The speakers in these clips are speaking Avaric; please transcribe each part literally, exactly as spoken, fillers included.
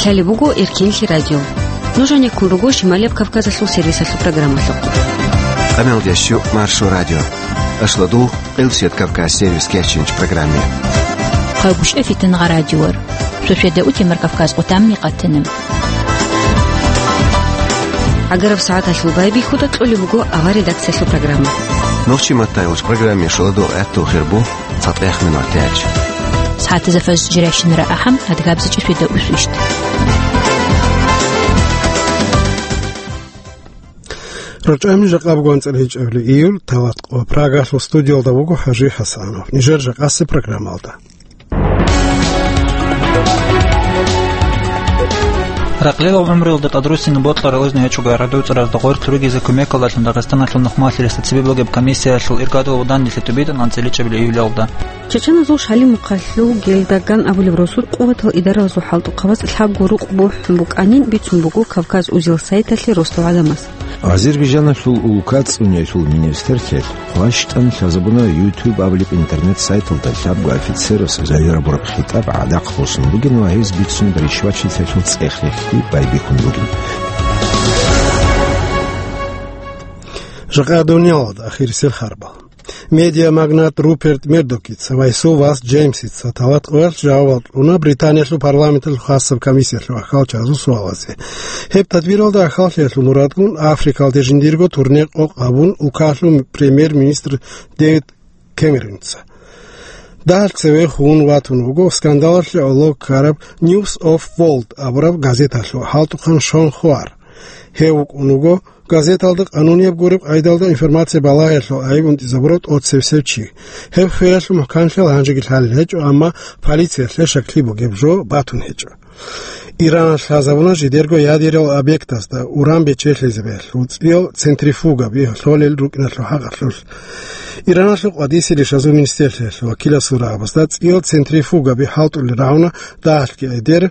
Гьале буго Эркинлъи радио. Нуж гьанеккун руго Шималияб Кавказалъул сервисалъул программалъухъ. Къамелдещу Маршо радио. Ашлодул Къилсият Кавказ сервис кечинч программе. Хъагушев Фитнагъа радиор. Шошеда утемар Кавказ къутамни къатана. Агараб сагӀаталъул байбихьуда кьолеб буго авар редакциялъул программа. Нохчи маттайгъуч программе шоладул гӀаттул хирбу. ЦатӀехъ минутач. СагӀатазда фаз жирайщинара ахӀам, адгабзичӀеб шида усвищ. РачӀами жакъа буго анцӀила гьечӀебли июль, тават къо. Прагалъул студиялда вуго ХӀажи ХӀасанов. Нижер жакъасеб программалда. Ракълилал гӀумруялда тӀадруссине бокьарал изну гьечӀого гӀарада уцӀаразда гъорлъ ругезе кумекалдалъун Дагъистаналъул нухмалъи ресда цебе бугеб комиссиялъул иргадул данделъи тӀубитӀун анцӀила чӀебли июлялда. Чачаназул Шалимухъалъул Гелдаган абулеб росулъ къуватал идаралазул хӀалтӀухъабаз лъабго рукъ бухӀун букӀанин бицун буго Кавказ Узел сайталъе росдал гӀадамаз. Азербайжаналъул улка цӀуниялъул министрлъиялъ хъващтӀан лъазабуна YouTube абулеб интернет-сайталда лъабго офицерас загьир гьабураб хитӀаб гӀадахъ босун бугин ва гьез бицун ришвачилъиялъул цӀех-рехьги байбихьун бугин. Жакъа дуниялалда ахирисел харбал. Медиамагнат Руперт Мердокица ва гьесул вас Джеймсица тават къоялъ жавабал кьуна Британиялъул парламенталъул хасаб комиссиялъул ахалчазул суалазе. Гьеб тадбиралда ахаллъиялъул мурадгун Африкалде жиндирго турне къокъ гьабун, улкалъул премьер-министр Дэвид Кэмеронца. Дагьалъ цеве хун ватун вуго скандалалъе гӀоло ккараб News of World абураб газеталъул хӀалтӀухъан Шон Хуар. Гьев вукӀун вуго газеталда къанунияб гуреб къайдалда информация балагьиялъул айиб унтӀизабурав тӀоцебсев чи. Гьеб хвеялъул мухӀканлъиялъ гьанжеги лъалел гьечӀо, амма полициялъе щаклъи бугеб жо батун гьечӀо. Иранас лъазабуна жидерго ядерал объектазда уран бечелъизабиялъул цӀиял центрифугаби лъолел рукӀиналъул хӀакъалъулъ. Иранасул къватӀисел ришазул министрлъиялъул вакиласул рагӀабазда цӀиял центрифугаби хӀалтӀулел рагӀуна дагьалъги эдер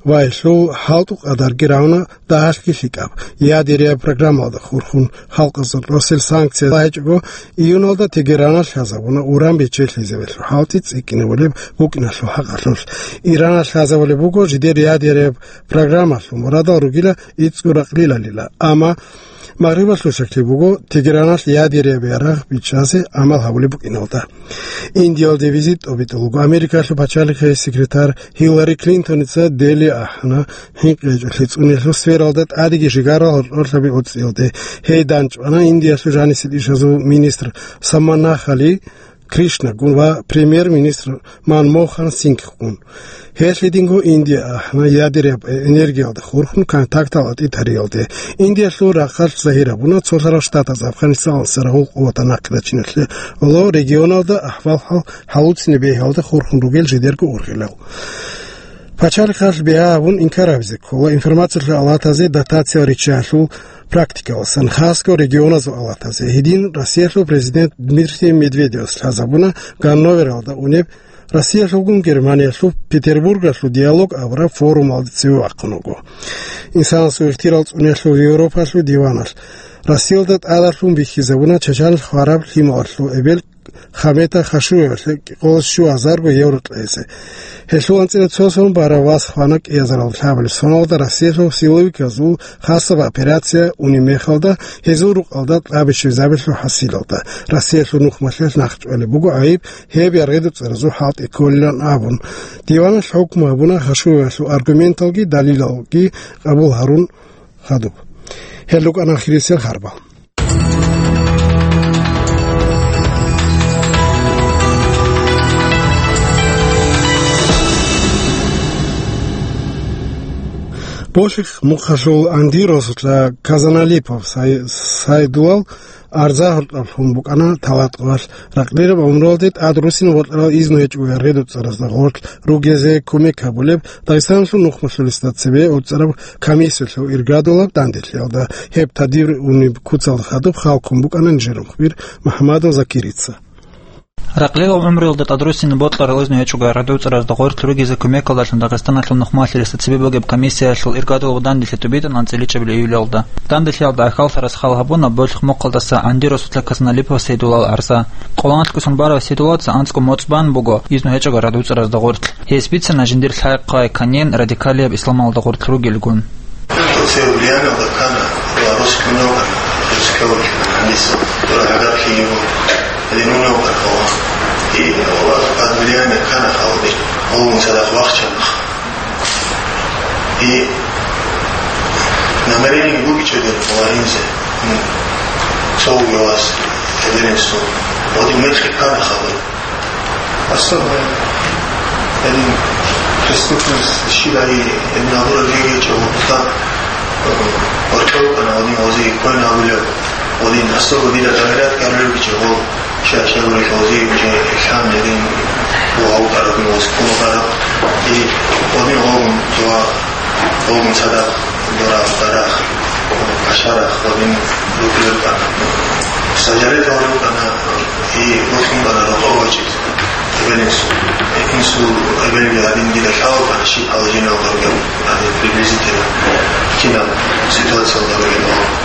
ва гьелъул хӀалтӀу къадарги рагӀуна дагьалъги лъикӀаб, ядерия программалда хурхун халкъазул росел санкция гьечӀого, июналда Тегеранас лъазабуна уран бечелъизабиялъул хӀалтӀи цӀикӀкӀинабулеб букӀиналъул хӀакъалъулъ. Иранас лъазабулеб буго жидер ядерия программалъул мурадал ругила ицӀго ракълилалила, амма Магърибалъул щаклъи буго Тегераналъ ядерия ярагъ бичӀчӀазе гӀамал гьабулеб букӀиналда. Индиялде визит тӀобитӀулго Америкалъул пачалихъе секретарь Хиллари Клинтоница Дели ахӀана хӀинкъи гьечӀолъи цӀуниялъул сфералда тӀадеги жигарал гьоркьорлъаби оцӀиялде. Гьей дандчӀвана Индиялъул жанисел ишазул министр Саманахали Кришнагун ва премьер-министр Манмохан Сингхгун. Гьелъидинго Индия ахӀана ядеряб энергиялда хурхун контактал атӀи тариялде. Индиялъул рахъалъ загьир гьабуна Цолъарал Штатаз Афганистаналъ рагъул къуватал нахъе рачиналъе гӀоло регионалда ахӀвал-хӀал гьалуцин бегьиялда хурхун ругел жидерго ургъилал. Пачалихъалъ бигьа гьабун инкар гьабизе ккола информациялъул алатазе дотациялъ риччаялъул практикаласан, хасго регионазул алатазе. Гьедин Россиялъул президент Дмитрий Медведевас лъазабуна Ганновералда унеб Россиялъулгун Германиялъул Петербургалъул диалог абураб форумалде цеве вахъун вуго. Инсанасул ихтирал цӀуниялъул Европалъул диваналъ Россиялда тӀадалъун бихьизабуна Чачанилъ хвараб лъималалъул эбел Хамета Хашуевалъе кӀикъоялда щуазарго евро кьезе. Гьелъул анцӀила цо сон барав вас хвана кӀиазарал лъабабилеб соналда Россиялъул силовиказул хасаб операция унеб мехалда, гьезул рукъалда кьабичилзабилъул хӀасилалда. Россиялъул нухмалъиялъ нахъчӀвалеб буго гӀайиб гьеб яргъидацӀаразул хӀалтӀи кколилан абун. Диваналъ хӀукму гьабуна Хашуевалъул аргументалги далилалги къабул гьарун хадуб. Гьел рукӀана ахирисел харбал. Болъихъ мухъалъул Анди росулъа Казаналипов Сай-, Сайдулал арза гьоркьоб лъун букӀана талатӀуялъ. Ракълираб гӀумруялде тӀад руссин бокьарал изну гьечӀого яргъидацӀаразда гъорлъ ругезе кумек гьабулеб Дагъистаналъул нухмалъулесда цебе оцӀараб комиссиялъул иргадулаб данделъиялда. Гьеб тадиб унеб куцалда хадуб халкун букӀана нижер мухбир МухӀамадов Закирица. Ракълилал гӀумруялда тӀадруссине бокьарал изну гьечӀого РГДУ цӀаразда гъорлъ ругезе кумекалдалъун Дагъистаналъул нухмалъи ресда цебе бугеб комиссиялъул иргадулго данделъи тӀубитӀана анцӀила ичӀабилеб июлалда. Данделъиялда ахӀваллъарас хал гьабуна Болъихъ-Мухъалдаса ГӀанди росулъа Казаналипов Сайдулал гӀарза. Къоланалъ ккусан барав Сайдулалца анцӀго моцӀ бан буго изну гьечӀого РГДУ цӀаразда гъорлъ. Гьес бицана жиндир лъай-хъвай канин радикалияб исламалда гъорлъ ругелгун. Все влияние Дакана, Белорусского много, Белорусского много, Дора Агарки его, Лимонова Баркова. И вот под влияние Кана Халби, он садах вахчанах. И намерение Гугича Белорусского, ну, Соловьевас, Эверенсу, вот и мы Кана Халби. Особо, ин, преступность щидай, ин, набора двигача, вот так, э, ворчал, она, один, ози, кой на уле, один, особо вида доверять, как люди, чего, ща, ща, говорит, ози, уже, ислам, один, вау, карабин, оз, куну, караб, и один, огун, два, огун, садак, дора, дарах, кашарах, один, люблю, сажалет, говорю, она, и, вот, он, она, рукавачит. Эбелинсул, инсул эбелги гьадин дида лъалаба, щиб положениялда ругел, гьадин приблизительно кинаб ситуациялда ругел.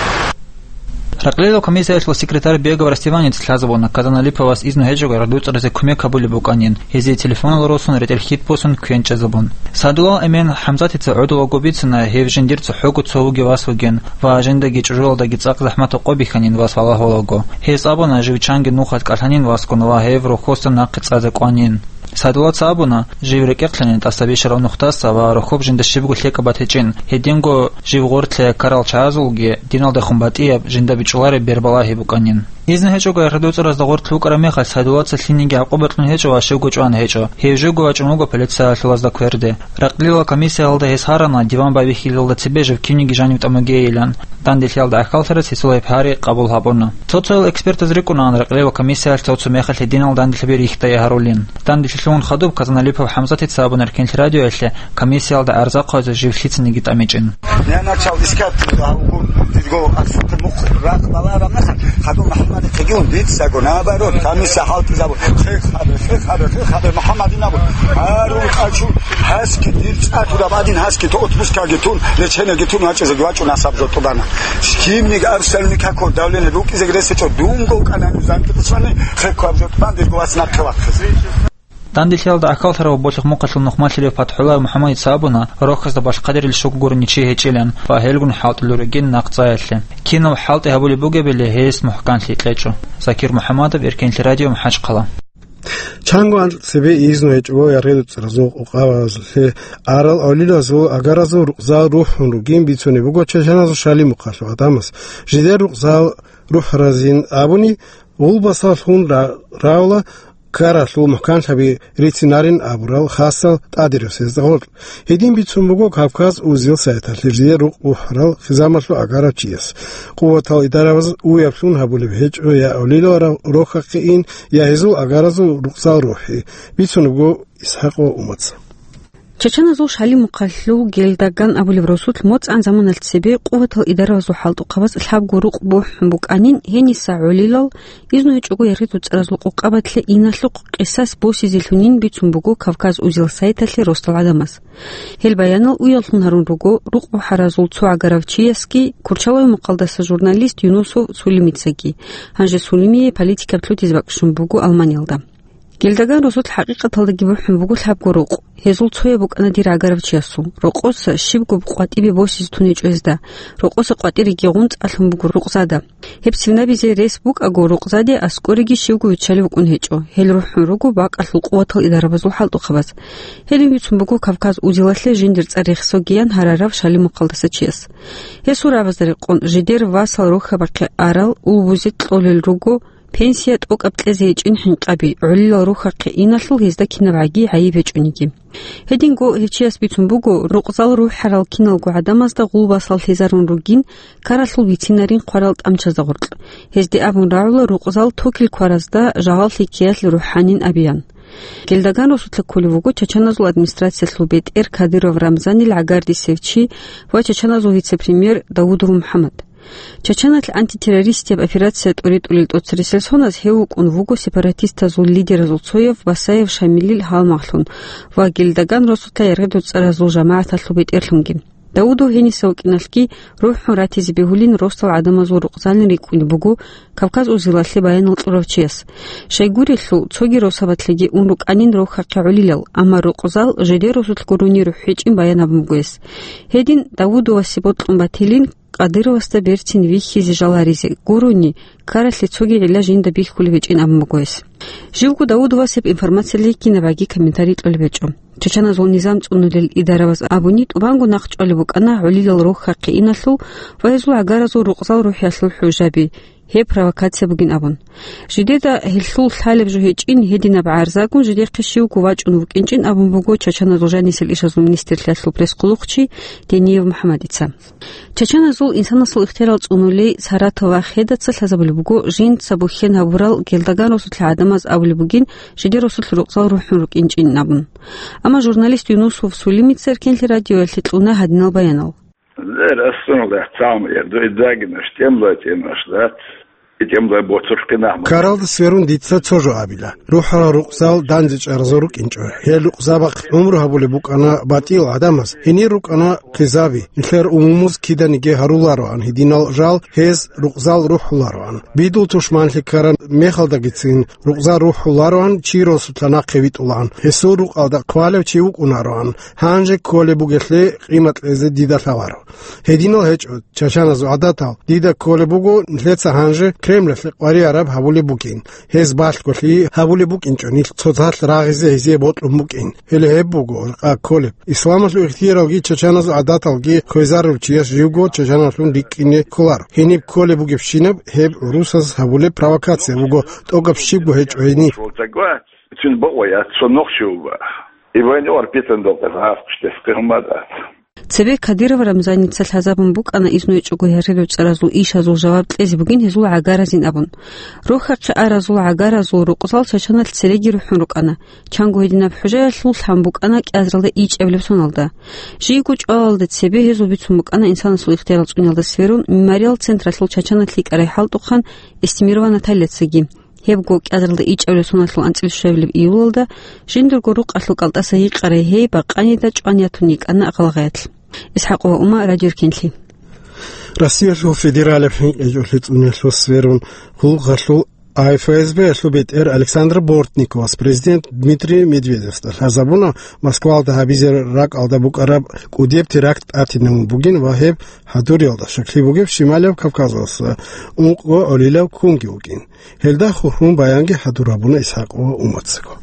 Ракълилал комиссиялъул секретарь Бегов Растиванец лъазабуна Казаналиповас изну гьечӀого РГДУ цӀаразе кумек гьабулеб букӀанин, гьезие телефонал росун ретӀел хьитӀ босун квен чӀезабун. Садулал эмен ХӀамзатица гӀодов ваго бицана гьев жиндир цохӀого цо вугев вас вугин ва жиндаги чӀужуялдаги цӀакъ захӀматаб къо бихьанин вас валагьулаго. Гьес абуна жив чанги нухалъ кӀалъанин васгун ва гьев рохьоса нахъе цӀазе кӀванин. Садулаца абуна, жив рекӀехълъанин тӀаса бищарав нухдаса ва рохьоб жинда щибго лъикӀаб батичӀин, гьединго жив гъорлъ ккарал чагӀазулги диналдехун батӀияб, жинда бичӀчӀулареб бербалагьи букӀанин. Изну гьечӀого РГДУ цӀаразда гъорлъ вукӀараб мехалъ Садулаца лъилниги гӀакъуба кьун гьечӀо ва щивго чӀван гьечӀо. Гьев живго вачӀун вуго полициялъулазда кверде. Ракълилал комиссиялда гьес гьарана диван байбихьилалда цебе жив кинниги жанив тӀамуге илан. Данделъиялда гӀахьаллъарас гьесул гьеб гьари къабул гьабуна. Цо-цоял экспертаз рикӀкӀунагӀан ракълилал комиссиялъ цо-цо мехалъ гьединал данделъи бихьидае гьарулин. Данделъи лъугьун хадуб Казаналипов ХӀамзатица абуна Эркенлъи радиоялъе комиссиялда гӀарза хъвазе жив лъицаниги тӀамичӀин. Я начал искать, а, у, у, у, арсуте мух, рак, бала, рамнасан, хаду Мухаммад Кегиун, дицаго, наоборот, комиссия халтизабу, хе, хабе, хе, хабе, хе, хабе, Мухаммад инабу, ару, качу, хаски, дирцатура, бадин хаски, то отпускаги тун, лечениеги тун, ваче, загвачу, насаб, жо, тубана. Скимник, арсалник, како, давление, руки, загресе, чо, дунго, канану, занки, писвани, хе, кваб, жо, тубан, дирго, вас, наккавак. Данделъиялда гӀахьаллъарав Болъихъ-Мухъалъул нухмалъарав ПатхӀуллаев МухӀаммадица абуна, рохьазда балъ хъадирил щуго гурони чи гьечӀилан ва гьелгун хӀалтӀулел ругин нахъ цӀаялъе. Кинав хӀалтӀи гьабулеб бугебали гьес мухӀканлъи кьечӀо. Закир МухӀаммадов, Эркенлъи радио, МахӀачхъала. Чанго анцӀ цебе изну гьечӀого РГДУ цӀаразул къукъабазулъе арал гӀолилазул агаразул рукъзал рухӀун ругин бицунеб буго чачаназул Шалимухъалъул гӀадамаз. Жидер рукъзал рухӀаразин абуни, гъулбасаллъун ра-, равла ккаралъул мухӀканлъаби рицинарин абурал хасал тӀадирасезда гъоркь. Гьедин бицун буго Кавказ узил сайталъе жидер рукъ рухӀарал хизамалъул агарав чияс. Къуватал идарабаз уяблъун гьабулеб гьечӀо я авлилал рав-, рохьахъе ин, я гьезул агаразул рукъзал рухӀи, бицун буго ИсхӀакъ ва Умаца. Чачаназул Шалимухъалъул Гелдаган абулеб росулъ моцӀан заманалъ цебе къуватал идарабазул хӀалтӀухъабаз лъабго рукъ бухӀун букӀанин, гьениса гӀолилал, изну гьечӀого РГДУ цӀаразул къукъабатлъе иналъухъ къисас босизелъунин бицун буго Кавказ узил сайталъе росдал гӀадамаз. Гьел баянал уяллъун гьарун руго рукъ рухӀаразул цо гӀагарав чиясги, Курчалой мухъалдаса журналист Юнусов Сулимицаги. Гьанже Сулимие политикаб лъутизе бакӀ щун буго Алманиялда. Гелдаган росулъ хӀакъикъаталдаги бухӀун буго лъабго рукъ. Гьезул цояб букӀана дир гӀагарав чиясул. Рокъоса щибго къватӀибе босизе тун гьечӀо гьезда. Рокъоса къватӀиреги гъунцӀалъун буго рукъзада. Гьеб цевнабизе рес букӀаго, рукъзаде аскӀореги щивго виччалев вукӀун гьечӀо. Гьел рухӀун руго бакӀалъул къуватал идарабазул хӀалтӀухъабаз. Гьелин бицун буго Кавказ узилалъе жиндир цӀар рехсогиян гьарарав Шалимухъалдаса чияс. Гьесул рагӀабазда рекъон, жидер васал рохьабахъе арал, улбузе кьолел руго, пенсия тӀокӀаб кьезе гьечӀин хӀинкъаби, гӀолилал рухьахъе иналъул гьезда кинабгӀаги гӀайиб гьечӀониги. Гьединго гьев чияс бицун буго, рукъзал рухӀарал киналго гӀадамазда гъулбасал лъезарун ругин, ккаралъул бицинарин хъварал тӀамчазда гъоркь. Гьезде абун рагӀула рукъзал токил кваразда жагьаллъи ккеялъ рухӀанин абиян. Гелдаган росулъа кколев вуго Чачаназул администрациялъул бетӀер Кадыров Рамзанил гӀагардисев чи ва Чачаназул вице-премьер Даудов МухӀаммад. Чачаналъ антитеррористияб операция тӀуритӀулел тӀоцересел соназ гьев вукӀун вуго сепаратистазул лидеразул цояв Басаев Шамилил гьалмагълъун ва Гелдаган росулъа яргъи-дуцӀаразул жамагӀаталъул бетӀерлъунги. Давудов гьениса вукӀиналъги рухӀун ратизе бегьулин росдал гӀадамазул рукъзалин рикӀкӀунеб буго Кавказ узилалъе баянал кьурав чияс. Щайгурелъул, цоги росабалъеги ун рукӀанин рохьахъе гӀолилал, амма рукъзал жидер росулъ гурони рухӀ гьечӀин баян абун буго гьес. Гьедин Давудовасе бокьун батилин Кадыровасда берцин вихьизе жаларизе гурони, ккаралъе цоги гӀилла жинда бихьулеб гьечӀин абун буго гьес. Живго Давудовас гьеб информациялъе кинабгӀаги комментарий кьолеб гьечӀо. Чачаназул низам цӀунулел идарабаз абуни, тӀубанго нахъ чӀвалеб букӀана гӀолилал рохьахъе иналъул ва гьезул гӀагаразул рукъзал рухӀиялъул хӀужаби, гьеб провокация бугин абун. Жидеда гьелъул лъалеб жо гьечӀин, гьединаб гӀарзагун жидехъе щивго вачӀун вукӀинчӀин абун буго Чачаназул жанисел ишазул министрлъиялъул пресс-хъулухъчи Дениев МухӀаммадица. Чачаназул инсанасул ихтиярал цӀунулей Саратова Хедаса лъазабулеб буго, жинца бухьен гьабурал Гелдаган росулъа гӀадамаз абулеб бугин, жидер росулъ рукъзал рухӀун рукӀинчӀин абун. Амма журналист Юнусов Сулимица Эркенлъи радиоялъе кьуна гьадинал баянал. Зер асунал яхцаун ярду идзагинаш, тӀемлай тӀемаш, дац, и тӀемлай боцулъ къинагь. Ккаралда сверун дица цо жо абила. РухӀарал рукъзал данде чӀаразул рукӀинчӀо. Гьел рукъзабахъ гӀумру гьабулеб букӀана батӀиял гӀадамаз, гьенир рукӀана хъизаби, нилъер умумуз киданиги гьарулароан гьединал жал, гьез рукъзал рухӀулароан. Бидул тушманлъи ккараб мехалдагицин рукъзал рухӀулароан, чи росулъа нахъе витӀулаан, гьесул рукъалда хъвалев чи вукӀунароан, гьанже кколеб бугелъе къимат кьезе дида лъаларо. Гьединал гьечӀо, чачаназул гӀадатал дида кколеб буго, нилъеца гьанже Кремлалъе къваригӀараб гьабулеб бугин. Гьез балъголъи гьабулеб букӀинчӀо, нилъ цоцалъ рагъизе гьезие бокьун букӀин. Гьеле гьеб буго жакъа кколеб. Исламалъул ихтияралги чачаназул гӀадаталги кквезарулев чияс живго чачаналъун рикӀкӀине кколаро. Гьениб кколеб бугебщинаб гьеб гӀурусаз гьабулеб провокация буго, тӀокӀаб щибго гьечӀо гьениб. Цин бокъоя, цо нохчи уба. И война вар питан докъа гӀаф куштес къигьмадат. Цебе Кадыров Рамзаница лъазабун букӀана изну гьечӀого гьарилев цӀаразул ишазул жаваб кьезе бугин гьезул гӀагаразин абун. Рохьахъе аразул гӀагаразул рукъзал чачаналъ цереги рухӀун рукӀана. Чанго гьединаб хӀужаялъул лъан букӀана кӀиазаралда ичӀабилеб соналда. Жийго чӀвалалда цебе гьезул бицун букӀана инсанасул ихтиярал цӀуниялда сверун мемориал централъул чачаналъ йикӀарай хӀалтӀухъан Эстемирова Натальяцаги. Гьебго кӀиазаралда ичӀабилеб соналъул анцӀила щуабилеб июлалда жиндирго рукъалъул кӀалтӀаса гьикъарай гьей бакъанида чӀван ятун йикӀана гъалгъаялъ. ИсхӀакъова Ума, Радио Эркенлъи. Россиялъул федералияб хӀинкъичӀолъи цӀуниялъул сверун, гьулгъалъул А Ф С Б-ялъул бетӀер Александр Бортниковас президент Дмитрий Медведевасда лъазабуна Москвалда гьабизе ракӀалда букӀараб кӀудеб теракт тӀатинабун бугин ва гьеб хӀадуриялда щаклъи бугеб Шималияб Кавказалдаса ункъго гӀолилав ккунги вукӀин. Гьелда хурхун баянги хӀадур гьабуна ИсхӀакъова Умацаго.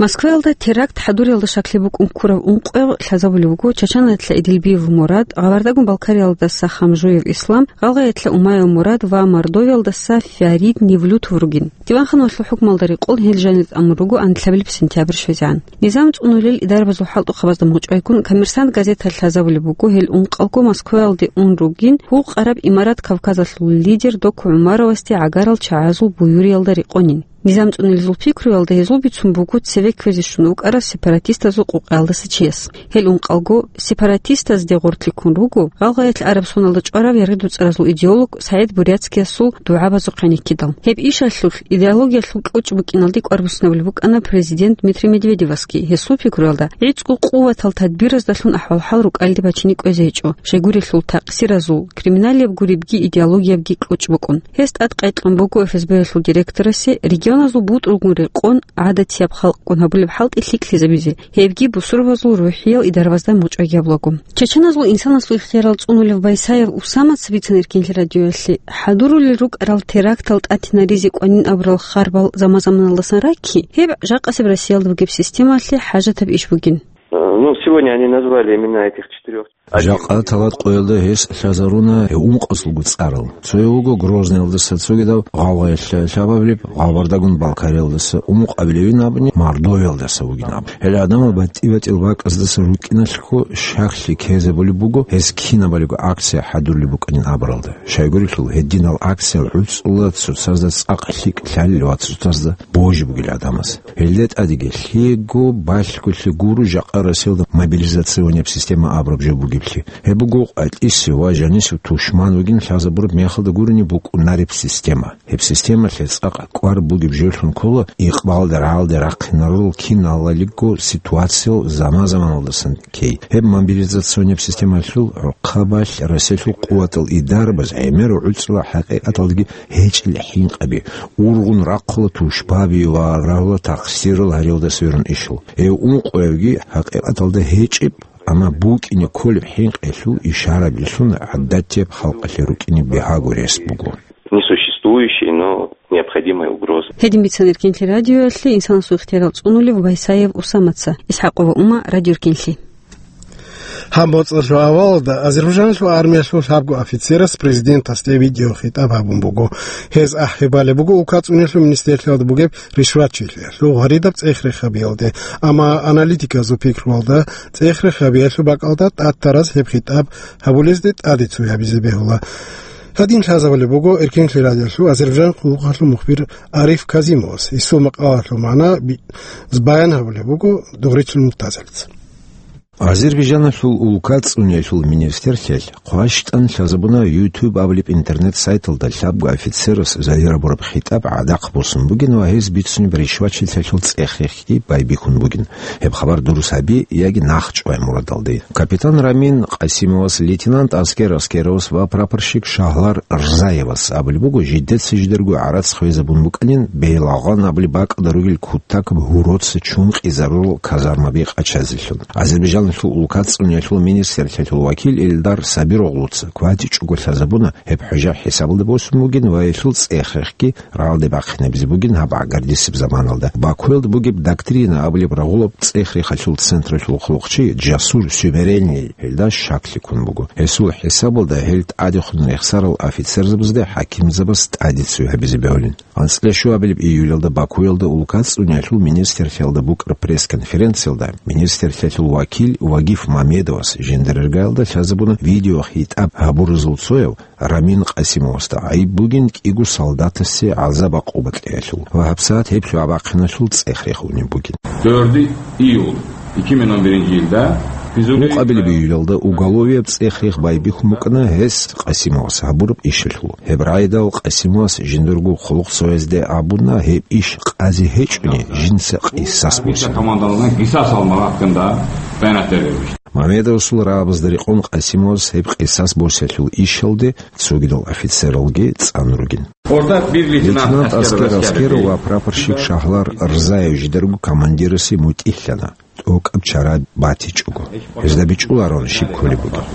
Москваялда теракт хӀадуриялда щаклъи букӀун ккурав ункъояв лъазабулев вуго Чачанаялъа Эдилбиев Мурад, Гъабардагун-Балкариялдаса Хамжуев Ислам, Гъалгъаялъа Умаев Мурад ва Мордовиялдаса Фарид Невлютов ругин. Диванханалъул хӀукмалда рекъон гьел жанир тӀамун руго анлъабилеб сентябрь щвезегӀан. Низам цӀунулел идарабазул хӀалтӀухъабазда мугъчӀвайгун, Коммерсант газеталъ лъазабулеб буго гьел ункъалго Москваялде ун ругин, гьукъараб Имарат Кавказалъул лидер Доку ГӀумаровасде гӀагарал чагӀазул буюриялда рекъонин. Низам цӀунилезул пикруялда гьезул бицун буго цеве кквезе щун вукӀарав сепаратистазул къукъаялдаса чияс. Гьел ункъалго сепаратистазде гъоркьлъи ккун руго гъалгъаялъ араб соналда чӀварав яргъи-дуцӀаразул идеолог СагӀид Буряцкиясул дугӀабазухъе никкидал. Гьеб ишалъулъ идеологиялъул кьучӀ букӀиналде кӀвар буссинабулеб букӀана президент Дмитрий Медведевасги. Гьесул пикруялда, гӀицӀго къуватал тадбираздалъун ахӀвал-хӀал рукӀалде бачине кӀвезе гьечӀо. Щайгурелъул такъсиразул, криминалияб гуребги идеологиябги кьучӀ букӀун. Гьес тӀадкъекьун буго Эф Эс Б-ялъул директорасе регионазул бутӀрулгун рекъон гӀадатияб халкъгун гьабулеб хӀалтӀи лъикӀлъизабизе, гьебги бусурбабазул рухӀиял идарабазда мугъчӀвайги гьабулаго. Чеченазул инсанасул ихтиярал цӀунулев Байсаев Усамаца бицана Эркенлъи радиоялъе, хӀадурулел рукӀарал терактал тӀатинаризе кӀванин абурал харбал заман-заманалдасан ракки, гьеб жакъасеб Россиялда бугеб системалъе хӀажатаб иш бугин. Ну, сегодня они назвали имена этих четырёх. Жакъа талат къоялда гьес лъазаруна ункъазулго цӀарал. Цояв вуго Грозныйалдаса цогидав, гъалгъаялъа лъабабилеб, Гъалбардагун-Балкариялдаса умукъабилевин абуни, Мордовиялдаса вугин абун. Гьел гӀадамал батӀи-батӀиял бакӀаздаса рукӀиналъго щаклъи ккезабулеб буго гьез кинабалиго акция хӀадурулеб букӀанин абуралда. Щайгурелъул, гьединал акциял гӀуцӀула цоцазда цӀакъ лъикӀ лъалел ва цоцазда божи бугел гӀадамаз. Гьелда тӀадеги лъего балъголъи гуро жакъа Россиялда мобилизационияб система абураб жо бугеб. Гьеб буго къватӀисев ва жанисев тушман вугин лъазабураб мехалда гурони букӀунареб система. Гьеб системалъе цӀакъ кӀвар бугеб жолъун ккола икъбалда рагӀалде рахъинарал киналалиго ситуациял заман-заманалдасан ккей. Гьеб мобилизационеб системалъул гӀухъабалъ Россиялъул къуватал идарабаз гӀемерав гӀуцӀрала хӀакъикъаталдаги гьечӀел хӀинкъаби, ургъун рахъула тушбаби ва рагьула тахсирал гьариялдаса гьарун ишал. Гьев ункъоявги хӀакъикъаталда гьечӀеб, амма букӀине кколеб хӀинкъиялъул ишарабилъун гӀадатияб халкъалъе рукӀине бигьаго рес буго. Несуществующей, но необходимой угрозы. Гьедин бицана Эркенлъи радиоялъе инсанасул ихтиярал цӀунулев Байсаев Усамаца. ИсхӀакъова Ума, Радио Эркенлъи. Гьаб моцӀалъул авалалда Азербайжаналъул армиялъул лъабго офицерас президентасде видеохитӀаб гьабун буго. Гьез ахӀи балеб буго улкацӀуниялъул министрлъиялда бугеб ришватчилъиялъул гъваридаб цӀех-рехабиялде, амма аналитиказул пикруялда цӀех-рехабиялъул бакӀалда тӀад-тараз гьеб хитӀаб гьабулезде тӀаде цо гьабизе бегьула. Гьадин лъазабулеб буго Эркенлъи радиоялъул Азербайжан къуллукъалъул мухбир Ариф Казимовас. Гьесул макъалалъул магӀна би-, баян гьабулеб буго Дугърицул Муртазалица. Азербайжаналъул улкацӀуниялъул министрлъиялъ хъващтӀан лъазабуна YouTube абулеб интернет-сайталда лъабго офицерас загьир гьабураб хитӀаб гӀадахъ босун бугин ва гьез бицунеб ришватчилъиялъул цӀех-рехги байбихьун бугин. Гьеб хабар дурус гьаби яги нахъчӀвай мурадалде. Капитан Рамин Къасимовас, лейтенант Аскер Аскеровас ва прапорщик Шагьлар Рзаевас абулеб буго, жидеца жидерго гӀарац хвезабун букӀанин, Бейлагъан абулеб бакӀалда ругел кутакаб гьуроца чун къизарурал казармаби къачазелъун. Азербайжаналъул улкацӀуниялъул министрлъиялъул вакил Эльдар Сабироглуца кватӀичӀого лъазабуна, гьеб хӀужа хӀисабалда босун бугин ва гьелъул цӀех-рехги рагӀалде бахъинабизе бугин гьаб гӀагардисеб заманалда. Бакуялда бугеб «Доктрина» абулеб рагъулаб цӀех-рехалъул централъул хъулухъчи Джасур Сюмеренлъи гьелда щаклъи ккун буго. Гьесул хӀисабалда гьел тӀадехун рехсарал офицерзабазда хӀакимзабаз тӀаде цо гьабизе бегьулин. АнцӀила щуабилеб июлялда Бакуялда улкацӀуниялъул министрлъиялда букӀараб пресс-конференциялда министрлъиялъул вакил Вагиф Мамедовас жинда рергаялда лъазабуна видеохитӀаб гьабуразул цояв Рамин Къасимовасда гӀайиб бугин кӀиго солдатасе гӀазаб-гӀакъуба кьеялъул ва гьабсагӀат гьеб лъугӀа-бахъиналъул цӀех-рех унеб бугин. Дорди июль, икиминан биринчи йилда, физули- Гьукъабилеб июлялда уголовияб цӀех-рех байбихьун букӀана гьес Къасимовас гьабураб ишалъул. Гьеб рагӀидал Къасимовас жиндирго хъулухъ цоязде абуна, гьеб иш къазе гьечӀони, жинца къисас босин. Командалардан къисас алмагъ гьакъинда баянат бергьанищ. Мамедовасул рагӀабазда рекъон Къасимовас гьеб къисас босиялъул ишалде цогидал офицералги цӀан ругин. Орта бир лейтенант Лейтенант Аскер Аскер Аскеров Аскеров ва прапорщик Шагьлар Рзаев жидерго командирасе мутӀигьлъана, тӀокӀаб чара батичӀого. Гьезда бичӀчӀуларон щиб кколеб бугеб.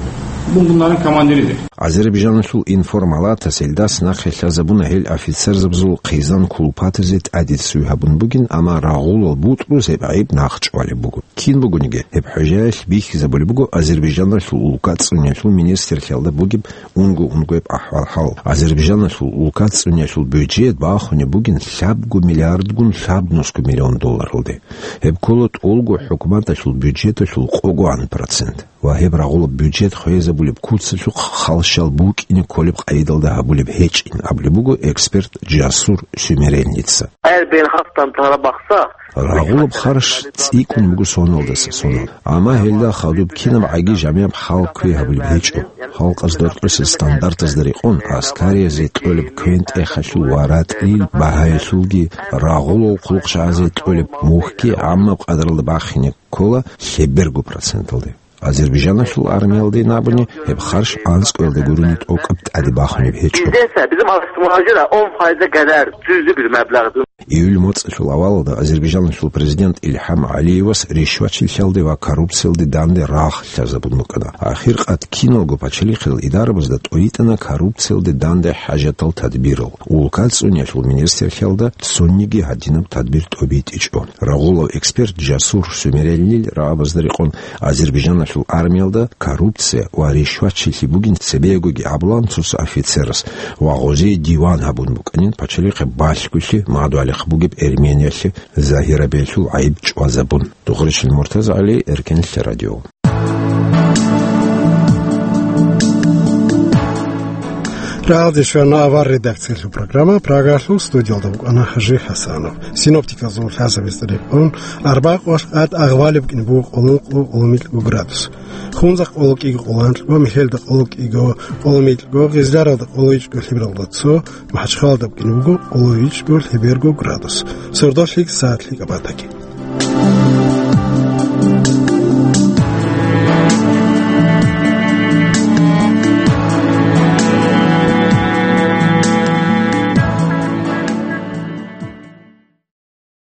Бунагьилан командиризе. Азербайжаналъул информалатас гьелдас нахъе лъазабуна гьел офицерзабазул хъизан кулпатазе тӀаде цо гьабун бугин, амма рагъулал бутӀруз гьеб гӀайиб нахъчӀвалеб буго. Кин бугониги, гьеб хӀужаялъ бихьизабулеб буго Азербайжаналъул улкацӀуниялъул министрлъиялда бугеб унго-унгояб ахӀвал-хӀал. Азербайжаналъул улкацӀуниялъул бюджет бахунеб бугин лъабго миллиардгун лъабнусго миллион долларалде. Гьеб ккола тӀолго хӀукуматалъул бюджеталъул къогоан процент. Ва гьеб рагъулаб бюджет хвезабулеб куцалъухъ халщал букӀине кколеб къайдалда гьабулеб гьечӀин абулеб буго эксперт Джасур Сюмеренлъица. Гьар бен хастан тарабахса. Рагъулаб харш цӀикӀкӀун буго соналдаса сонал. Амма гьелда хадуб кинаб гӀаги-жамияб хӀал кквей гьабулеб гьечӀо. Халкъаз доркьуса стандартазда рекъон, аскариязде кьолеб квен-тӀехалъул ва ратӀлил багьаялъулги, рагъулал хъулухъчагӀазе кьолеб мухьги гӀаммаб къадралда бахине ккола лъеберго проценталде. Азербайжаналъул армиялдейин абуни, гьеб харш анцӀгоялда гурони тӀокӀаб тӀаде бахунеб гьечӀо. Бизденса, bizim alıştırmacılar on faize kadar düzdü bir meblağdı. Июль моцӀалъул авалалда Азербайжаналъул президент Илхам ГӀалиевас ришватчилъиялде ва коррупциялде данде рагъ лъазабун букӀана. Ахиркъат киналго пачалихъил идарабазда тӀойитӀана коррупциялде данде хӀажатал тадбирал. УлкацӀуниялъул министрлъиялда цониги гьадинаб тадбир тӀобитӀичӀо. Рагъулав эксперт Жасур Сумерелил рагӀабазда рекъон Азербайжаналъул армиялда коррупция ва ришватчилъи бугин цебегоги абулан цоца офицерас ва гъозие диван гьабун букӀанин пачалихъе балъголъи мадугьалихъ бугеб Эрмениялъе загьирабиялъул гӀайиб чӀвазабун. Дугъричил МуртазагӀали, Эркенлъи радио. Прагьалде щвана авар редакциялъул программа. Прагалъул студиялда вукӀана Хажи Хасанов. Синоптиказул лъазабиз рекъон, арбакъвалъ къад агъвалеб кӀин буго къоло ункъо, къоло микьго градус. Хунзахъ къоло кӀиго къоло анкьго, Михелда къоло кӀиго къоло микьго, Гъизляралда къоло ичӀго лъебералда цо, МахӀачхъалада кӀин буго къоло ичӀго лъеберго градус. Сордо лъикӀ сагӀат лъикӀаб батаги.